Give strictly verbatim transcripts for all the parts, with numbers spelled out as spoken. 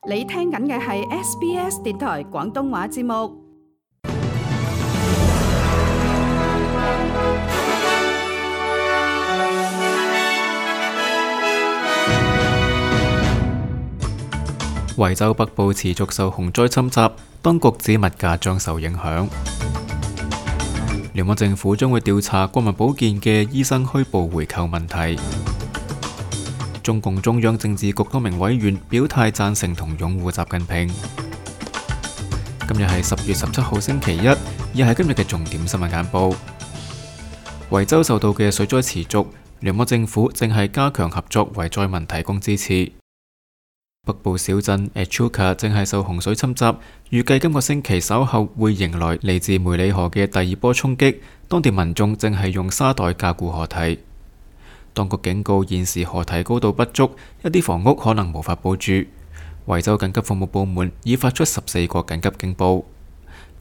你聽緊嘅係 S B S 電台廣東話節目。維州北部持續受洪災侵襲，當局指物價將受影響。聯邦政府將會調查國民保健嘅醫生虛報回扣問題。中共中央政治局多名委員表態贊成同擁護習近平。今日係十月十七號星期一，亦係今日嘅重點新聞簡報。維州受到嘅水災持續，聯邦政府正係加強合作為災民提供支持。北部小鎮 Echuca 正係受洪水侵襲，預計今個星期稍後會迎來嚟自梅里河嘅第二波衝擊，當地民眾正係用沙袋加固河堤。當局警告現時河堤高度不足，一啲房屋可能無法保住。維州緊急服務部門已發出十四個緊急警報。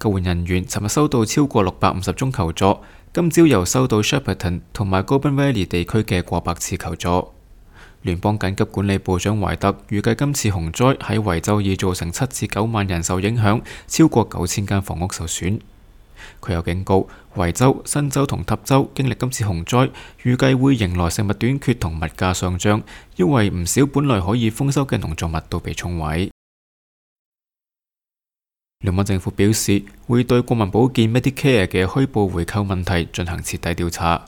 救援人員尋日收到超過六百五十宗求助，今朝又收到 Shepparton 同埋 Goulburn Valley 地區嘅過百次求助。聯邦緊急管理部長懷特預計今次洪災喺維州已造成七至九萬人受影響，超過九千間房屋受損。佢又警告維州、新州同塔州經歷今次洪災，預計會迎來食物短缺同物價上漲，因為唔少本來可以豐收嘅農作物都被沖毀。聯邦政府表示會對國民保健 Medicare 嘅虛報回扣問題進行徹底調查。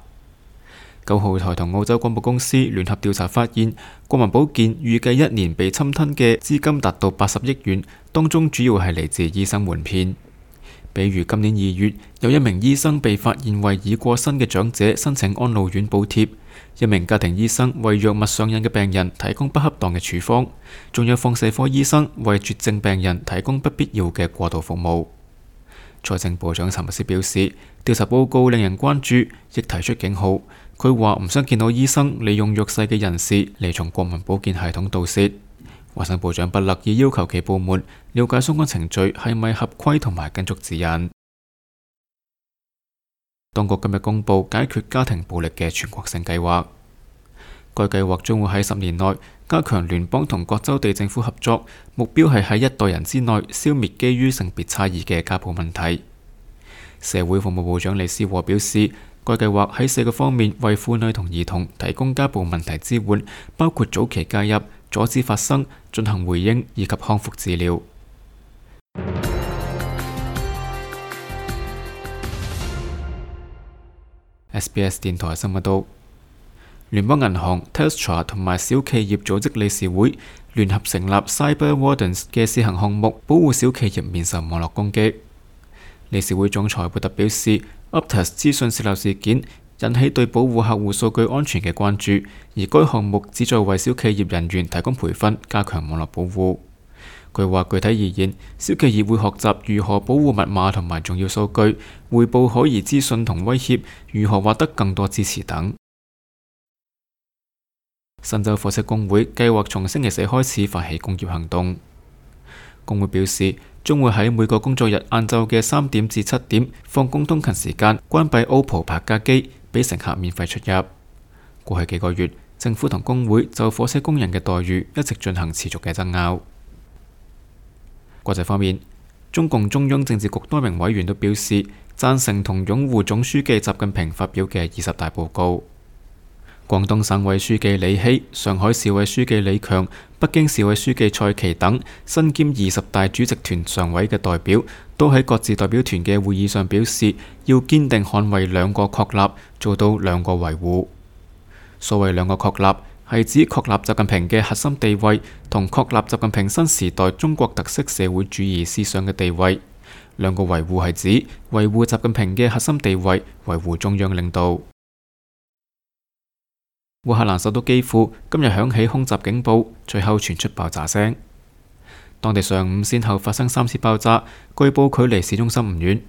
九號台同澳洲廣播公司聯合調查發現，國民保健預計一年被侵吞嘅資金達到八十億元，當中主要係嚟自醫生瞞騙。比如今年二月，有一名醫生被發現為已過身嘅長者申請安老院補貼，一名家庭醫生為藥物上癮嘅病人提供不恰當嘅處方，仲有放射科醫生為絕症病人提供不必要嘅過渡服務。財政部長查默斯表示，調查報告令人關注，亦提出警號。佢話唔想見到醫生利用弱勢嘅人士嚟從國民保健系統盜竊。衛生部長布勒已要求其部門了解相關程序係咪合規同埋跟足指引。當局今日公布解決家庭暴力嘅全國性計劃，該計劃將會喺十年內加強聯邦同各州地政府合作，目標係喺一代人之內消滅基於性別差異嘅家暴問題。社會服務部長李思和表示，該計劃喺四個方面為婦女同兒童提供家暴問題支援，包括早期介入、阻止發生、進行回應以及康復治療。S B S 電台新聞道，聯邦銀行、Telstra 同埋小企業組織理事會聯合成立 Cyber Wardens 嘅試行項目，保護小企業免受網絡攻擊。理事會總裁貝特表示，Optus 資訊洩漏事件引起對保護客戶數據安全嘅關注，而該項目旨在為小企業人員提供培訓，加強網絡保護。佢話具體而言，小企業會學習如何保護密碼同埋重要數據，匯報可疑資訊同威脅，如何獲得更多支持等。新州貨車工會計劃從星期四開始發起工業行動。工會表示，將會喺每個工作日晏晝嘅三點至七點放工通勤時間關閉 Opal 泊架機，俾乘客免費出入。過去幾個月，政府同工會就火車工人嘅待遇一直進行持續嘅爭拗。國際方面，中共中央政治局多名委員都表示贊成同擁護總書記習近平發表嘅二十大報告。廣東省委書記李希、上海市委書記李強、北京市委書記蔡奇等身兼二十大主席團常委嘅代表，都喺各自代表團嘅會議上表示，要堅定捍衛兩個確立，做到兩個維護。所謂兩個確立，係指確立習近平嘅核心地位，同確立習近平新時代中國特色社會主義思想嘅地位。兩個維護係指維護習近平嘅核心地位，維護中央領導。烏克蘭首都基輔今日響起空襲警報，隨後傳出爆炸聲。當地上午先後發生三次爆炸，據報距離市中心唔遠。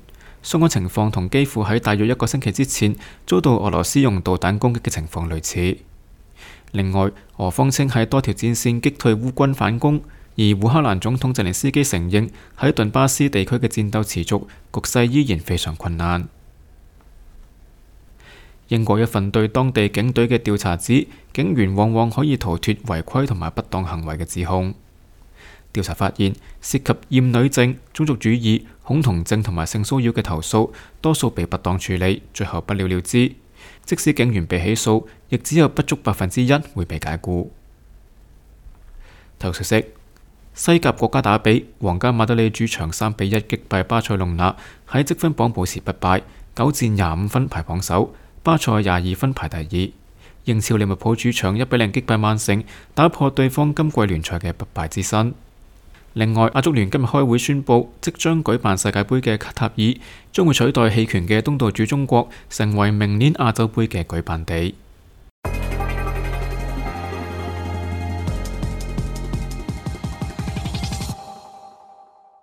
相關情況同基輔喺大約一個星期之前遭到俄羅斯用導彈攻擊嘅情況類似。另外，俄方稱喺多條戰線擊退烏軍反攻，而烏克蘭總統澤連斯基承認喺頓巴斯地區嘅戰鬥持續，局勢依然非常困難。英國一份對當地警隊嘅調查指，警員往往可以逃脫違規同埋不當行為嘅指控。調查發現，涉及厭女症、種族主義、恐同症同埋性騷擾嘅投訴，多數被不當處理，最後不了了之。即使警員被起訴，亦只有不足百分之一會被解僱。體育消息：西甲國家打比，皇家馬德里主場三比一擊敗巴塞隆納，喺積分榜保持不敗，九戰廿五分排榜首。巴塞廿二分排第二。英超利物浦主場一比零擊敗曼城，打破對方今季聯賽嘅不敗之身。另外，亞足聯今日開會宣布，即將舉辦世界盃嘅卡塔爾將會取代棄權嘅東道主中國，成為明年亞洲盃嘅舉辦地。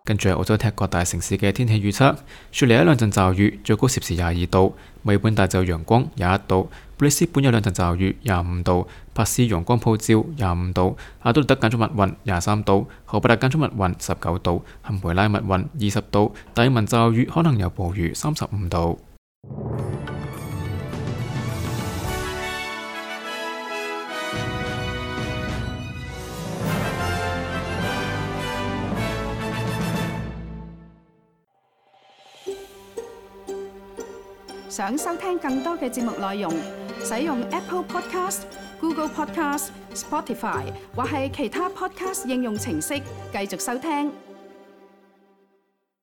跟住係澳洲踢各大城市嘅天氣預測：雪梨一兩陣驟雨，最高攝氏廿二度；墨爾本大晝陽光廿一度；布里斯本有兩陣驟雨廿五度；珀斯陽光普照廿五度；阿德萊德間中密雲廿三度；荷伯特間中密雲十九度；坎培拉密雲二十度；達爾文驟雨可能有暴雨三十五度。想收聽更多嘅節目內容，使用 Apple Podcast、Google Podcast、Spotify 或係其他 Podcast 應用程式繼續收聽。